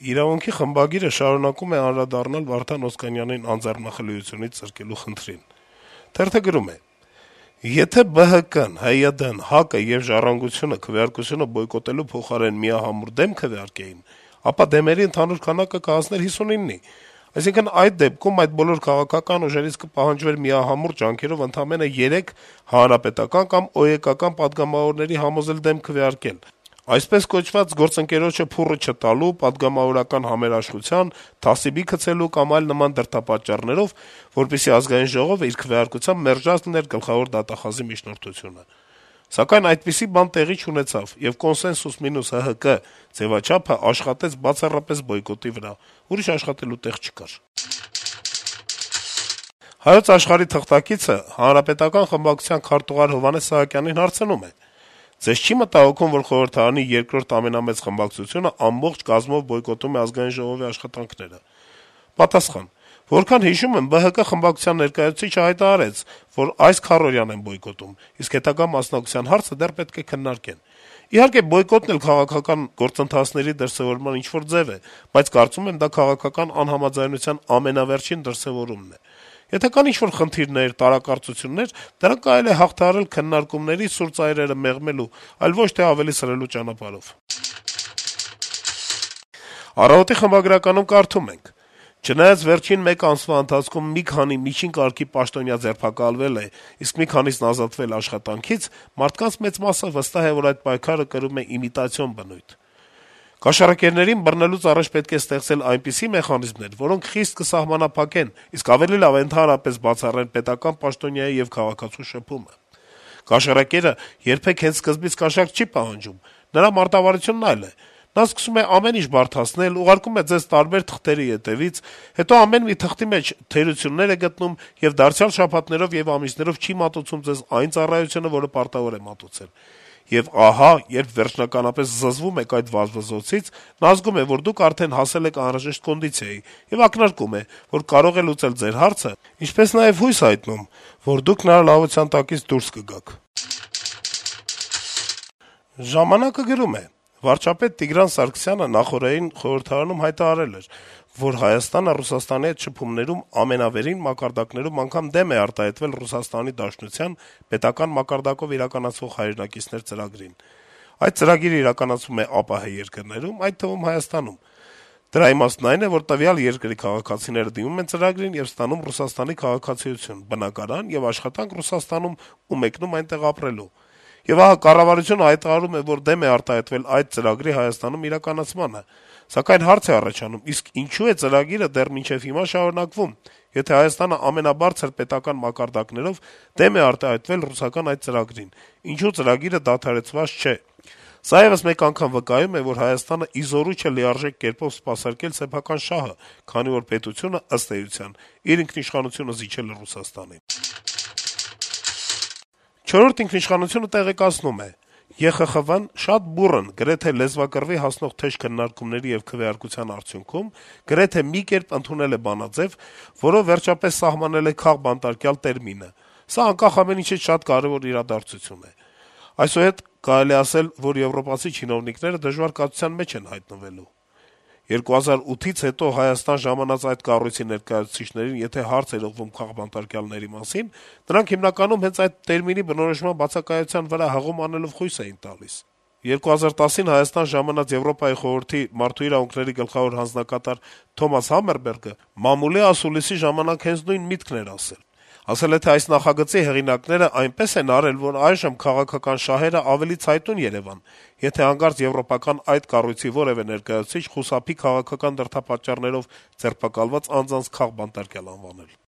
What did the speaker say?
Իրավունքի խմբագիրը շարունակում է անդրադառնալ Վարդան Օսկանյանին անձեռնախլիությունից զրկելու խնդրին. Թերթը գրում է. - «Եթե ԲՀԿ-ն, ՀՅԴ-ն, ՀԱԿ-ը եւ «Ժառանգությունը» քվեարկությունը բոյկոտելու փոխարեն միահամուռ դեմ քվեարկեին, ապա դեմերի ընդհանուր քանակը կհասներ 59-ի: Այսինքն, այդ դեպքում այդ բոլոր քաղաքական ուժերից կպահանջվեր միահամուռ ջանքերով ընդամենը 3 հանրապետական կամ ՕԵԿ-ական պատգամավորների համոզել դեմ քվեարկել: Այսպես կոչված գործընկերոջը փուռը չտալու, պատգամավորական համերաշխության, թասիբի գցելու կամ այլ նման դրդապատճառներով, որպեսզի Ազգային ժողովը իր քվեարկությամբ մերժած լիներ գլխավոր դատախազի միջնորդությունը: Սակայն այդպիսի բան տեղի չունեցավ, եւ կոնսենսուս մինուս ՀՀԿ ձեւաչափը աշխատեց բացառապես բոյկոտի վրա, ուրիշ աշխատելու տեղ չկար»: «Հայոց Աշխարհ»-ի թղթակիցը Հանրապետական խմբակցության քարտուղար Հովհաննես Սահակյանին հարցնում է. - «Ձեզ չի մտահոգում, որ խորհրդարանի երկրորդ ամենամեծ խմբակցությունը ամբողջ կազմով բոյկոտում է Ազգային ժողովի աշխատանքները»: Պատասխան. - «Որքան հիշում եմ, ԲՀԿ խմբակցության ներկայացուցիչը հայտարարեց, որ այս քառօրյան են բոյկոտում, իսկ հետագա մասնակցության հարցը դեռ պետք է քննարկեն: Իհարկե, բոյկոտն էլ քաղաքական գործընթացների դրսեւորման ինչ-որ ձեւ է, բայց կարծում եմ, դա քաղաքական անհամաձայնության ամենավերջին դրսեւորումն է: Եթե կան ինչ-որ խնդիրներ, տարակարծություններ, դրանք կարելի է հաղթահարել քննարկումների, սուր ծայրերը մեղմելու, այլ ոչ թե ավելի սրելու ճանապարհով»: «Առավոտ»-ի խմբագրականում կարդում ենք. - «Չնայած վերջին մեկ ամսվա ընթացքում մի քանի միջին կարգի պաշտոնյա ձերբակալվել է, իսկ մի քանիսն ազատվել աշխատանքից, մարդկանց մեծ մասը վստահ է, որ այդ պայքարը կրում է իմիտացիոն բնույթ: Կաշառակերներին բռնելուց առաջ պետք է ստեղծել այնպիսի մեխանիզմներ, որոնք խիստ կսահմանափակեն, իսկ ավելի լավ է ընդհանրապես բացառեն պետական պաշտոնյայի եւ քաղաքացու շփումը: Կաշառակերը երբեք հենց սկզբից կաշառք չի պահանջում, նրա մարտավարությունն այլ է: Նա սկսում է ամեն ինչ բարդացնել, ուղարկում է ձեզ տարբեր թղթերի հետեւից, հետո ամեն մի թղթի մեջ թերություններ է գտնում եւ դարձյալ շաբաթներով եւ ամիսներով չի մատուցում ձեզ այն ծառայությունը, որը պարտավոր է մատուցել: Եվ ահա, երբ վերջնականապես զզվում եք այդ վազվզոցից, նա զգում է, որ դուք արդեն հասել եք անհրաժեշտ կոնդիցիայի եւ ակնարկում է, որ կարող է լուծել ձեր հարցը, ինչպես նաեւ հույս հայտնում, որ դուք նրա լավության տակից դուրս կգաք»: «Ժամանակ»-ը գրում է. - «Վարչապետ Տիգրան Սարգսյանը նախօրեին խորհրդարանում հայտարարել էր, որ Հայաստանը Ռուսաստանի հետ շփումներում ամենավերին մակարդակներում անգամ դեմ է արտահայտվել Ռուսաստանի Դաշնության պետական մակարդակով իրականացվող «Հայրենակիցներ» ծրագրին: Այդ ծրագիրը իրականացվում է ԱՊՀ երկրներում, այդ թվում Հայաստանում: Դրա իմաստն այն է, որ տվյալ երկրի քաղաքացիները դիմում են ծրագրին եւ ստանում Ռուսաստանի քաղաքացիություն, բնակարան եւ աշխատանք Ռուսաստանում ու մեկնում այնտեղ ապրելու: Եվ ահա կառավարությունը հայտարարում է, որ դեմ է արտահայտվել այդ ծրագրի Հայաստանում իրականացմանը: Սակայն հարց է առաջանում՝ իսկ ինչու է ծրագիրը դեռ մինչեւ հիմա շարունակվում, եթե Հայաստանը ամենաբարձր պետական մակարդակներով դեմ է արտահայտվել ռուսական այդ ծրագրին, ինչու ծրագիրը դադարեցված չէ: Սա եւս մեկ անգամ վկայում է, որ Հայաստանը ի զորու չէ լիարժեք կերպով սպասարկել սեփական շահը, քանի որ պետությունը, ըստ էության, իր ինքնիշխանությունը զիջել է Ռուսաստանին»: «Չորրորդ ինքնիշխանություն»-ը տեղեկացնում է. - «ԵԽԽՎ-ն շատ բուռն, գրեթե լեզվակռվի հասնող թեժ քննարկումների եւ քվեարկության արդյունքում գրեթե մի կերպ ընդունել է բանաձեւ, որով վերջապես սահմանել է «քաղբանտարկյալ» տերմինը: Սա անկախ ամեն ինչից շատ կարեւոր իրադարձություն է: Այսուհետ կարելի է ասել, որ եվրոպացի չինովնիկները դժվար կացության մեջ են հայտնվելու: 2008-ից հետո Հայաստան ժամանած այդ կառույցի ներկայացուցիչներին եթե հարց էր ուղղվում քաղբանտարկյալների մասին, նրանք հիմնականում հենց այդ տերմինի բնորոշման բացակայության վրա հղում անելով խույս էին տալիս: 2010-ին Հայաստան ժամանած Եվրոպայի խորհրդի մարդու իրավունքների գլխավոր հանձնակատար Թոմաս Համերբերգը մամուլի ասուլիսի ժամանակ հենց նույն միտքն էր ասել: Ասել է, թե այս նախագծի հեղինակները այնպես են արել, որ այժմ քաղաքական շահերը ավելի ցայտուն երեւան, եթե հանկարծ եվրոպական այդ կառույցի որեւէ ներկայացուցիչ խուսափի քաղաքական դրդապատճառներով ձերբակալված անձանց քաղբանտարկյալ անվանել»: